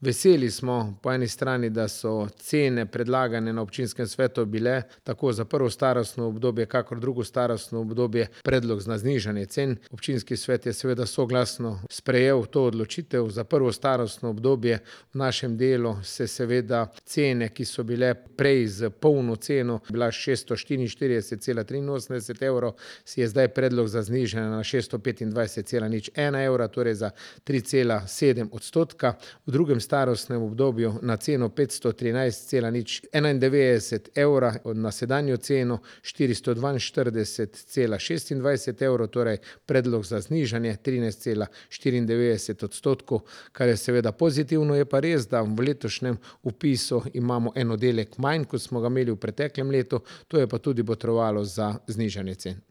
Veseli smo po eni strani, da so cene predlagane na občinskem svetu bile tako za prvo starostno obdobje, kakor drugo starostno obdobje predlog za znižanje cen. Občinski svet je seveda soglasno sprejel to odločitev. Za prvo starostno obdobje v našem delu se seveda cene, ki so bile prej z polno ceno, bila 644,83 evrov, si je zdaj predlog za znižanje na 625,01 evra, torej za 3,7%. V drugem starostnem obdobju na ceno 513,91 evra, na sedanjo ceno 442,26 evrov, torej predlog za znižanje 13,94%, kar je seveda pozitivno. Je pa res, da v letošnjem vpisu imamo en oddelek manj, kot smo ga imeli v preteklem letu, to je pa tudi botrovalo za znižanje cen.